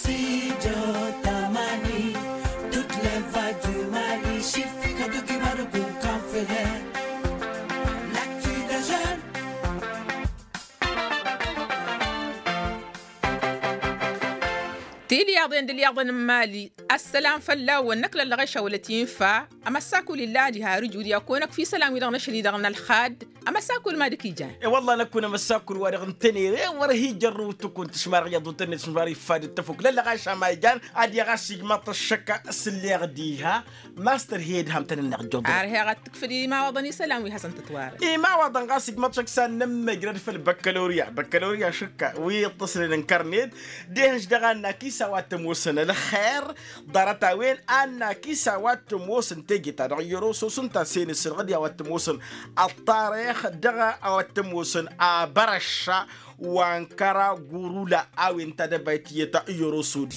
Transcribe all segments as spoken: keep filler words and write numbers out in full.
Studio Tamani, toutes les voix du Mali, Chiffre, Kadougui, Madougou, Kanfele, l'actu des jeunes. Tilyaḍen d-ilyaḍen n-imali. Ăssalam fălla-wăn năkk lăllăɣeš a wălăt-infa. Amăssakul illa ad-iha rǝjud i-ad-kăwăn-ăkf isălan-wi-dăɣ n-ašăl-i-dăɣ n-ălxad. Amăssakul ma dăk-ijan. E-wălla năkkun amăssakul-wa-dăɣ n-tănere wăr hi-jărrǝw tǝkun tǝšmar iyyăḍ u tănnet šmar iffad d-tăfuk lăllăɣeš a ma ijan. Ad-iɣas igmaḍ-t ăššăk s-ǝlleɣ diha. Mastăr hi-ed ham tăn-ănneɣ jăḍ. Ar heɣ ad-tǝkfǝd imawaḍăn isălan wi hasăn-tătwarăn. Imawaḍăn ɣas igmaḍ-t šăkk s-ad-nămmăjrăd făll-băkkălorya băkkălorya šǝkka wi iṭṭăsnen n-kărnet. Dehănš dăɣ-annak-is a-wa t-ămoosăn ălxer. Ḍarăt-a-wen annak-is a-wa t-ămoosăn teje-ta-dăɣ i-oroso s-ǝnta a-s e-nǝssǝlɣǝd i-a-wa t-ămoosăn ăṭṭarix dăɣ-a-wa t-ămoosăn abărăšša. Wa n-kăra gurula a-wen tadăbayt tiyyăt i-oroso-di.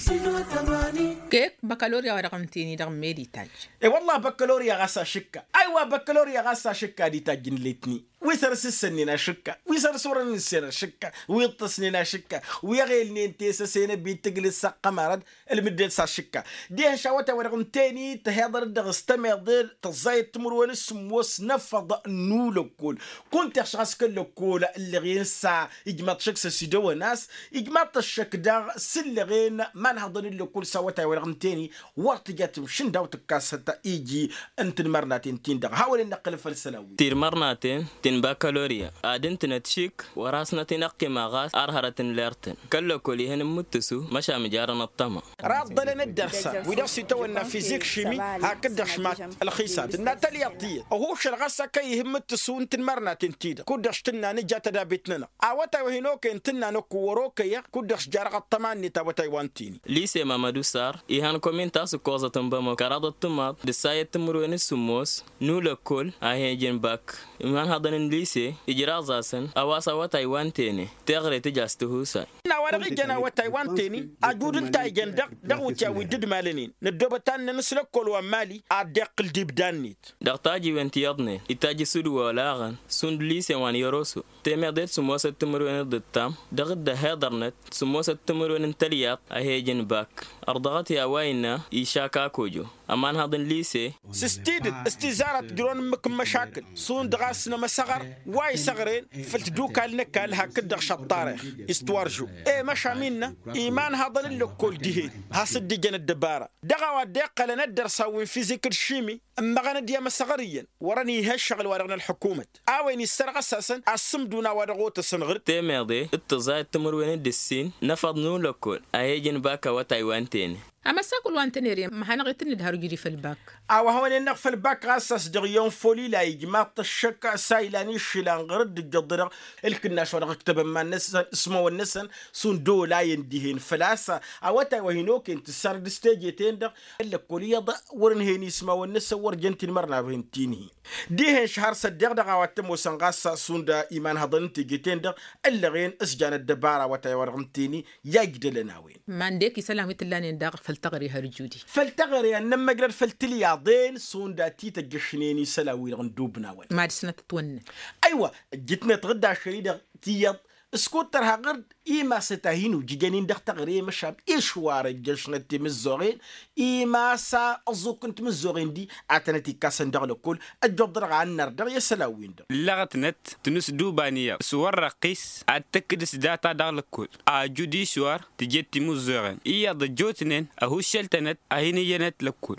Kek băkălorya wa dăɣ-ǝnta-en-i dăɣ-med itajj. E-wălla băkălorya ɣas ašǝkka aywa băkălorya ɣas ašǝkka ad-itajj n-letni. Wi săr-s ǝssănnen ašǝkka wi săr-s wăren ǝssen ašǝkka wi ǝṭṭăsnen ašǝkka wi ăɣelnen tesăse n-ăbit tǝglǝs s-ăqqămarăd. Ǝlmǝdden s-ašǝkka dihen šawătay wa dăɣ-ǝnta-en-i tăheḍăr-dd dăɣ-s-tămeḍe tăẓẓayăt timǝrwen s-sǝmmos n-efăḍ n-ulăkkol. Kunta ixš ɣas kăl-lăkkol ǝllăɣen s-a ijmaḍ-t šăkk s-ăsidăwăn a-s ijmaḍ-t ăššăk daɣ s-ǝllăɣen. Ma n-haḍăn n-lăkkol s-awătay wa dăɣ-ǝnta-en-i wăr tǝja tǝmšǝn daw-tǝkkas hăta iji n-tinmărnaten-tin-dăɣ hawăn-in-năqqǝlăl făll-isălan-wi. Tinmărnaten ti n-bakălorya ad-ǝntǝnăt šik wăr hasnăt-in-ăqqima ɣas ar hărăt n-ler-tăn kăl-lăkkol ihăn n-imǝttǝsu măšan mijarăn ăṭṭăma. Raḍḍălăn dd-ărsa wi dăɣ-s itawănna fizik šimi hakd-dăɣ šmat ălxisab tǝnna tălyaḍt tiyyăt ăhušăl ɣas a kăy-ihǝmmǝttǝsu n-tinmărnaten-ti-dăɣ kud-dăɣ s-tǝnna nǝja tadabit-nănăɣ. Awătay wa hin-okăyăn tǝnna năkk wăr-okăyăɣ kud-dăɣ s-jarăɣ ăṭṭăma-net awătay-wa-ǝnta-en-i. Lise mamădu sar ihăn komin ta s-ǝkkoẓăt n-bamăko kăraḍăt timaḍ d-ǝssayăt timǝrwen s-sǝmmos n-ulăkkol a hi-ijǝn bak. Imanhăḍăn n-lise ijraẓ-asăn a-wa s-awătay wa ǝnta-en-e teɣre tǝja s-tihusay. N-a-wa-dăɣ ijăn awătay wa ǝnta-en-i ajud ǝnta a ijăn dăɣ-dăɣ wǝtya wi dd-ǝdmalănen năddoobăt annăn s-lăkkol wa n-mali ad-dd-iqqǝl d-ibda-net. Dăɣ-tajiwen ti iyyăḍnen itajj s-dd-wolaɣăn šund lisen wa n-yăroso temeḍe d-sǝmmosăt timǝrwen d-ǝṭṭam dăɣ-dd-ăhiḍărnăt sǝmmosăt timǝrwen n-tălyaḍt a hi-ijǝn bak. Ărḍăɣăt i-a-wa innă išaka kojo ămanhăḍ n-lise. S-tidǝt s-tizarăt jăr-wăn ǝmmǝk n-măšakǝl šund ɣas n-emăsăɣăr wa isăɣren făll-tadukal n-ăkall hakd-dăɣ šăṭṭarix istwarju. E măšan innă imanhăḍăn n-lăkkol dihen has-dd-ijăn ăddăbara dăɣ-a-wa dd-iqqălăn ăddărsan wi n-fizik d-šimi ǝmmăɣăn-dd i-emăsăɣăr iyyăn wărăn ih' ăššăɣǝl-wa-dăɣ n-ălḥukumăt. A-wen isărɣăs-asăn asǝmdun a-wa dăɣ-otăsăn ɣǝr-dd. Temeḍe d-tǝẓẓayăt timǝrwen d-ǝssin n-efăḍ n-ulăkkol a hi-ijǝn bak awătay wa ǝnta-en-e. Amăssakul wa n-tănere ma hanăɣ-itǝnnǝd har ǝjǝd-i făll-bak. A-wa hawăn-innăɣ făll-bak ɣas a-s dăɣ-iyyăn folila ijmaḍ-t ăššăk a-s a ilan išlan ɣǝr-dd ǝjjăḍ-dăɣ ǝlkǝnnaš wa dăɣ-ǝktăbăn iman-năsăn s-imawăn-năsăn šund olayăn dihen făl-a-s awătay wa hin-okăyăn tǝssarăd s-teje-ten-dăɣ. Ăllăkkol iyyăḍ wăr-ǝnhăyăn ismawăn-năsăn wăr jăn tinmărnaten ti n-hi-dihen šăhăr s-ăddeɣ dăɣ-a-wa t-ămoosăn ɣas šund imanhăḍăn n-teje-ten-dăɣ ǝllăɣen s-jan ăddăbara awătay wa dăɣ-ǝnta-en-i. I-a ijdălăn a-wen. Ma n-dek isălan wi t-ǝllanen daɣ făll-teɣăre har ǝjud-i. Făll-teɣăre ad-nămmăjrăd făll-tilyaḍen šund ad-t-tăjjăšnen isălan-wi-dăɣ n-dub n-a-wen. Ma dăɣ-snăt ătwănnăn. Aywa ǝjjǝtnet ɣǝdda ašăl-i-dăɣ tiyyăḍ s-kud-tărha ɣǝr-dd imasăt a hin-ujǝjăn-in dăɣ-teɣăre măšan išwar ăjjăšnăt timǝzzoɣen. Imasa ăẓẓuk n-timǝzzoɣen-di ad-tănăt-ikkasăn dăɣ-lăkkol. Ăjjoḍ-dăɣ a ănnăr dăɣ-i isălan-win-dăɣ. Ǝllăɣătnăt tǝnǝs d-uba n-iyyăḍ s-wăr răqqis ad-tǝkkǝd s-data dăɣ-lăkkol ajud išwar tǝjet timǝzzoɣen iyyăḍ ăjjootnen ăhuššăl-tănăt a hin-iyyănăt lăkkol.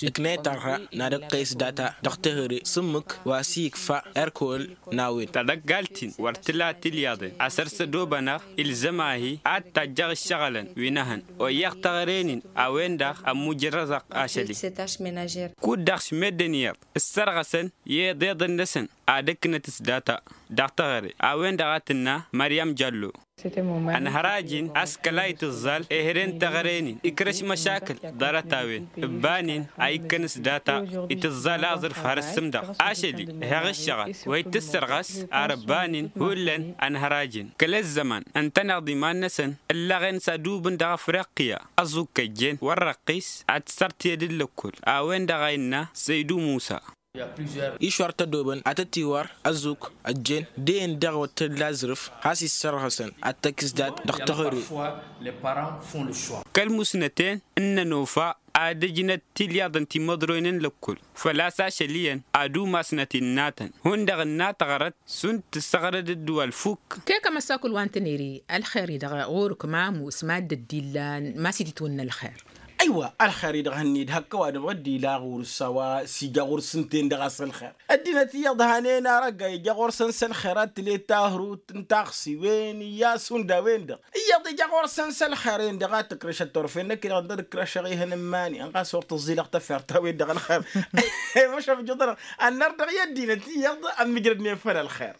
Ǝknăyăt ărha n-ad-ǝqqăyăs data dăɣ-teɣăre s-ǝmmǝk wa s-ikfa erkol n-a-wen. Tadăggal-tin wăr tǝla tilyaḍen asăr s-ădobănăɣ ilzăm-ahi ad-tajjăɣ ǝššăɣǝlăn wi n-ehăn. Oyyăɣ teɣăre-nin a-wen-dăɣ ămmujărrăzăɣ ašăl-i. Kud-dăɣ š-meddǝn iyyăḍ ǝssărɣăsăn i-iḍeḍăn-năsăn ad-ǝknăt s-data dăɣ-teɣăre a-wen-dăɣ a tǝnna măryăm jallo. Ănhăraj-in a-s kăla itǝẓẓal ehre n-teɣăre-nin ikrăš măšakǝl ḍarăt-a-wen. Ǝbban-in a ikkăn s-data itǝẓẓal aẓrǝf har ǝssǝm-dăɣ ašăl-i heɣ ǝššăɣăl wa ittǝssărɣăs ar ǝbban-in hullan. Ănhăraj-in kăl-ăzzăman ǝntăneḍ iman-năsăn ǝllăɣen s-adubǝn dăɣ-afriqya ăẓẓuk ăjjeen wăr răqqis ad-t-săr tiyăd n-lăkkol a-wen-dăɣ a innă săydu musa. Išwar tădobăn ad-tăt-iwar ăzzuk ăjjeen d-eyyăn dăɣ-wăr tălla azrǝf has-issărɣăsăn ad-tăkks dat-dăɣ tăɣăre. Kăl-musnăten n-nănofa ad-ǝjnăt tilyaḍ n-timǝḍroyăn n-lăkkul făl-a-s ašăl iyyăn ad-umasnăt innatăn hundăɣ ǝnna taɣrăt šund tǝssăɣrăd ǝddǝwal fukk. Kek ămăssakul wa n-tăniri ălxer-i-dăɣ ɣur-ǝkmam usmad d-ăddillan ma s-ititwǝnna ălxer. Aywa ălxer-i-dăɣ hănned hăkk ăwadǝm ɣǝddila ɣur-s a-wa s-ija ɣur-s ǝnta-en-dăɣ a-s ălxer. Ăddinăt iyyăḍ hanen arăgga ija ɣur-săn s-ălxer ad-tǝlet tahrut n-taxsiwen iyyas hundăɣ-wen-dăɣ iyyăḍ ija ɣur-săn s-ălxer-en-dăɣ ad-tǝkrǝšăt turfen năkk-i-dăɣ ǝnta ad-ǝkrăšăɣ ihăn n-iman-i ănɣas wăr tǝẓẓilăɣ tafert-a-wen-dăɣ ălxer. Măšan ǝjǝḍ-anăɣ ănnăr dăɣ-i ăddinăt iyyăḍ ămmǝjrădnen făll-ălxer.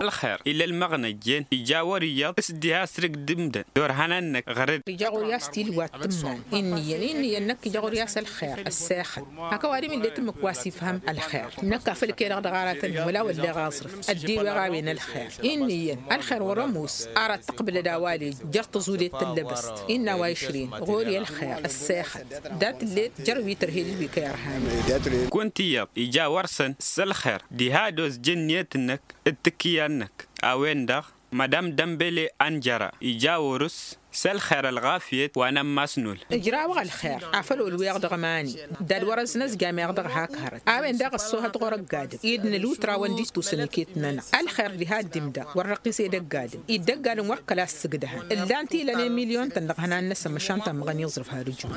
Ălxer ila ălmăɣnăjjen ija wăr-iyyăḍ s-diha asrǝk d-imdăn dorhănăn-năk ɣăr-dd. Ija ɣur-i a-s tilwat tǝmman. Inn'-iyyăn inn'-iyyăn năkk ija ɣur-i a-s ălxer ăssexăt. Hak ăwadǝm ill'-e tǝmmǝk wa s-ifhăm ălxer năkk afăl kăy-dăɣ dăɣ-aratăn wăla wălleɣ aẓrǝf. Ăddiweɣ a-wen ălxer inn'-iyyăn ălxer wăr-ămoos. Ara t-tǝqbǝlăd a-wa ălej jer-tăẓudet tăllăbăst innă a-wa išrǝyăn ɣur-i ălxer ăssexăt. Dat-ǝllet jer-wi tărhed d-wi kăy-ărhanen. Kunta iyyăḍ ija wăr-săn s-ălxer diha ad-ozjăn ǝnniyăt-năk d-tǝkkǝya-năk. A-wen-dăɣ madam dămbele anjăra ija wăr-s s-ălxer ălɣafyăt wa n-ămmas n-ul. Ǝjrawăɣ ălxer afăl olweɣ dăɣ-mani. Dad-wărăn s-năzjam eɣ dăɣ-hak hărăt a-wen daɣ ăṣṣoohăt ɣur-ăgg-adǝm-i d-nǝlwǝtra wa n-distusăn iket-nănăɣ. Ălxer diha dd-imdăɣ wăr răqqis edăgg-adǝm-i d-ăgg-adǝm wăr kăla ăssǝgdăhăn ǝllan-t ilăn emilyon-tăn dăɣ-ihănan-năsăn măšan tammăɣăn iẓrǝf har ǝjut.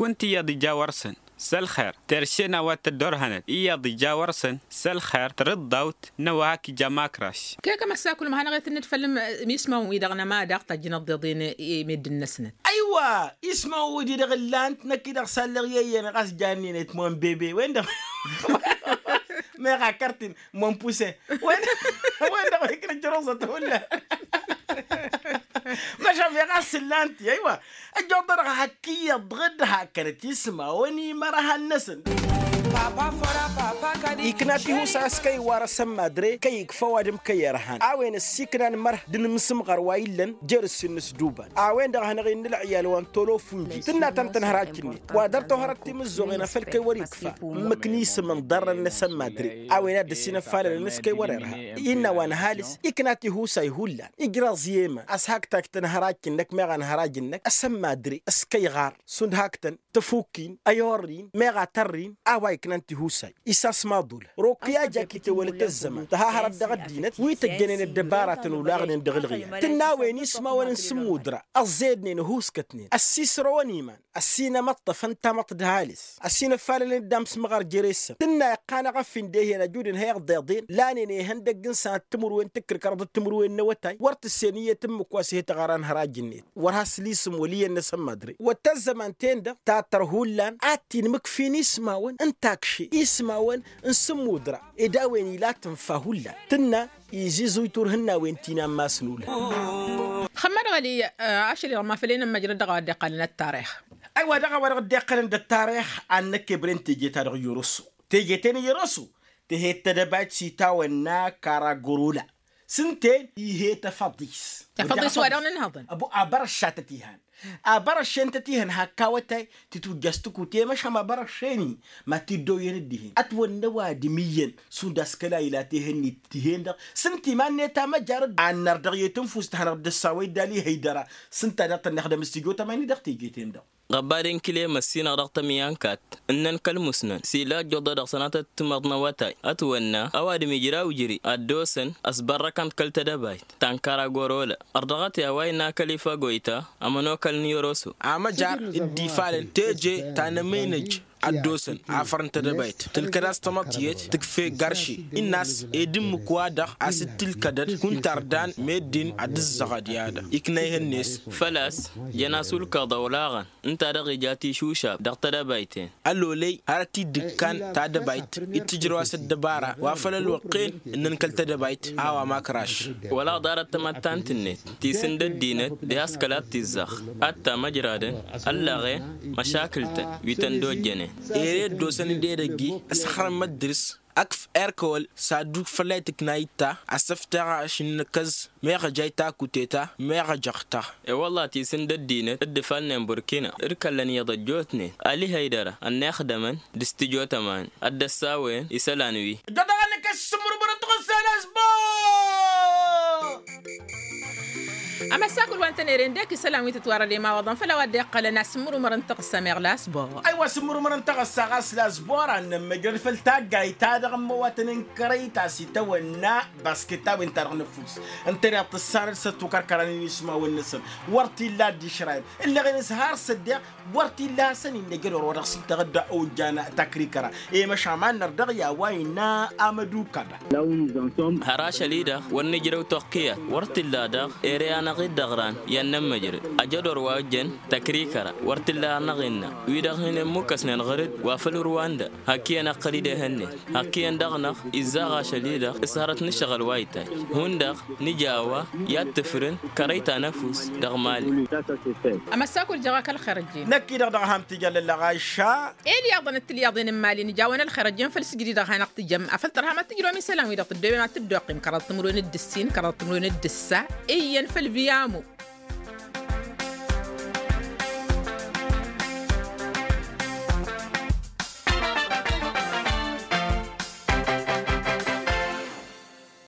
Kunta iyyăḍ ija wăr-săn s-ălxer terše n-a-wa t-ăddorhănăt iyyăḍ ija wăr-săn s-ălxer tărǝḍḍawt n-a-wa hak ija makraš. Kek ămăssakul ma hanăɣ-e tǝnnǝd făll-ismawăn-wi-dăɣ n-ăma daɣ tajjǝnăḍ d-iḍen i-meddǝn-năsnăt. Aywa ismawăn-wi-di-dăɣ ǝllan-t năkk-i-dăɣ s-allăɣ i-eyyăn ɣas jannen etmon bebe wen-dăɣ meɣ akărt-in mănpuse. Wen-dăɣ wa iknă jăroẓăt hullan. Măšan meɣ a-s ǝllan-t i-aywa. Ăjjoḍ-dăɣ hak iyyăḍ dăɣ-dd-hakkănăt ismawăn imărhan-năsăn. Ikna tihusa a-s kăy-iwar asămmadre kăy-ikfa ăwadǝm kăy-irhan a-wen ăssiiknan mărh d-inǝmsǝmɣăr wa illăn jer-ǝssin n-ǝsduban. A-wen-dăɣ a hanăɣ-innă ălɣiyal wa n-tolofun ji tǝnna ta n-tănhărajj-net wa dăr-tohărăt timǝzzoɣen a făl kăy-wăr-ikfa ǝmmǝk n-isǝm n-iḍarrăn n-asămmadre. A-wen a dd-ăsinăfalălăn s-kăy-wăr-irha innă wa n-ăhalǝs ikna tihusay hullan ijrăẓ i-eman a-s hak tajj tănhărajj-năk meɣ anhăraj-năk asămmadre s-kăy-iɣar šund hak-tăn tăfukkin ăyorrin meɣ a tărrin. A-wa iknan tihusay isasmaḍul rokk i-ajak itewălăt ăzzăman tăhahărăt dăɣ-ăddinăt wi tăjjănen ăddăbaratăn olaɣnen dăɣ-ǝlɣiyal tǝnna a-wen ismawăn n-sǝmmudra ăẓẓednen ăhuuskătnen ăssisrăwăn iman ăssinămăṭṭăfăn tamăḍt d-ăhalǝs ăssinăfalălnen d-amsmăɣăr jere-săn tǝnna iqqan eɣăffin d-ehăn ăjudăn ha iɣḍeḍen lanen ihăndăgg n-sănăt timǝrwen tǝkkǝrkăr d-timǝrwen n-awătay wăr tǝssen iyyăt ǝmmǝk wa s-he-tăɣara n-hăraj-net. Wăr has-lisǝm wăl' iyyăn n-asămmădre wăr t-ăzzăman-ten-dăɣ tatăr hullan ad-t-inmǝkfin ismawăn n-takše ismawăn n-sǝmmudra ed a-wen ila tǝnfa hullan tǝnna iziẓuy turhǝnnawen ti n-ammas n-ulhăn. Xămmădăɣ ăliy ašăl-i-dăɣ ma făl e-nămmăjrăd dăɣ-a-wa dd-iqqălăn ăttarix. Aywa dăɣ-a-wa-dăɣ dd-iqqălăn d-ăttarix ad-năkk ebrăn teje-ta-dăɣ i-oroso teje-ten i-oroso. Tehet tedăbayt s-itawănna karagorola s-ǝnta-en ihet afăḍis. Afăḍis wa dăɣ-nǝnhăḍăn. Abărăššatăt ihăn abărăššentăt ihăn hak awătay titwǝjjăs tǝkute măšan abărăššen-i ma t-dd-oyyăn dd-ihen ătwănna ăwadǝm iyyăn šund a-s kăla ila tehăn-net tihen-dăɣ. S-ǝnta iman-net amăjar ănnăr dăɣ-i tǝnfust hanăɣ-dd-ăssawăy dd-alihăy dăra s-ǝnta daɣ tăn-ixdăm s-tijo tamani dăɣ-teje-ten-dăɣ. Ɣăbadăn kile măssinăɣ dăɣ-tămyan kat ǝnnăn kăl-musnăn s-ila ăjjoḍăd dăɣ-sănatăt timăḍ n-awătay ătwănna ăwadǝm ijraw ijri ad-dd-osăn ăsbărrăkăn-t kăl-tedăbayt ta n-karagorola. Ărdăɣăt i-a-wa innă kăl-ifa goyta ămănokăl n-iyoroso. Amăjar dd-ifalăn teje ta n-emăynăj ad-dd-osăn afăr n-tedăbayt tǝlkăd a-s tamăḍt tiyyăt tǝkfe garši. Innă a-s ed ǝmmǝk-wa-dăɣ a-s dd-tǝlkădăd kunta ărdan meddǝn ad-dd-ǝzzăɣăd i-ad-ikna ihăn-net. Făl-a-s jăn-as ulkaḍ ăwlaɣăn ǝnta-dăɣ ija tišušab dăɣ-tedăbayt-en. Ălolăy hărăt-dd-ǝkkan tadăbayt dd-tǝjrăw a-s ăddăbara wa făl ălwăqq-en ǝnnăn kăl-tedăbayt a-wa makraš. Wăla ḍarăt tamăttant-net tisǝnd ăddinăt diha s-kăla t-izzăɣ ad-tamăjradăn ăllăɣen măšakǝl-tăn wi tăn-dd-ojjănen. Ere dd-osăn d-edăgg-i ăsxărăn măddǝrs. Ăkf erkăwăl s-ad-dd-ukfălăy tǝkna itta asǝfteɣ ašǝnnǝkăz meɣ ăjay takuteta meɣ ăjăɣ-ta. E-wălla tisǝn d-ăddinăt d-ifalnen burkina d-kăllăn iyyăḍ ăjjootnen ali hăydăra ănnixdămăn d-s tijotăman ad-dd-ăssawăyăn isălan wi. Dd-ănăkăs s-sǝmmărǝmărăn tăɣǝssa n-asbor. Amăssakǝl wa n-tănere ǝndek isălan wi tǝtwarăd i-imawăḍăn făll-a-wa dd-iqqălăn asǝmmărǝmărăn tăɣǝssa meɣ lasbor. Aywa asǝmmărǝmărăn tăɣǝssa ɣas lasbor ad-nămmăjrăd făll-taggayt-ta-dăɣ n-imăwatăn n-kărăyt a-s itawănna. Basket-ta-wen-ta-dăɣ n-ăfus ǝntăneḍ tǝssanăd s-ăttukărkăran-in ismawăn-năsăn wăr t-illa dd-išrayăn ǝlleɣ-in s-har s-ăddeɣ. Wăr t-illa hasăn-in-năj ădor wa dăɣ-s ǝnta ad-dd-ojjan takrikăra i-măšan ma n-năr dăɣ-i a-wa innă amădukăd. Har ašăl-i-dăɣ wăr nǝjrăw toqqiyat wăr t-illa daɣ ere-anăɣ-dd dăɣ-ran i-ad-nămmăjrăd. Ăj ădor wa ojjăn tăkrikăra wăr t-illa anăɣ-innă wi-dăɣ hin-immukăsnen ɣăr-dd wa făll-urwan-dăɣ. Hakk iyyăn ăqqăl-dd ehănnen hakk iyyăn dăɣ-năɣ izzaɣ ašăl-i-dăɣ s-hărăt n-ǝššăɣǝl wa itay. Hundăɣ nǝja a-wa i-ad-tǝfrǝn kărăy ta n-ăfuss dăɣ-mali. Amăssakul jăɣ-ak ălxer ăjjeen. Năkk-i-dăɣ dăɣ-eham tijallăl lăɣayša. Elyaḍăn d-tilyaḍen n-imali nǝjawăn ălxer ăjjeen făll-sǝjdǝd dăɣ-hanăɣ-tǝjăm afăl tărham ad-tǝjrǝwăm isălan-wi-dăɣ tǝddoobem ad-tǝddoqqim kăraḍ timǝrwen d-ǝssin kăraḍ timǝrwen d-ǝssa. Iyyăn făll-viyamu.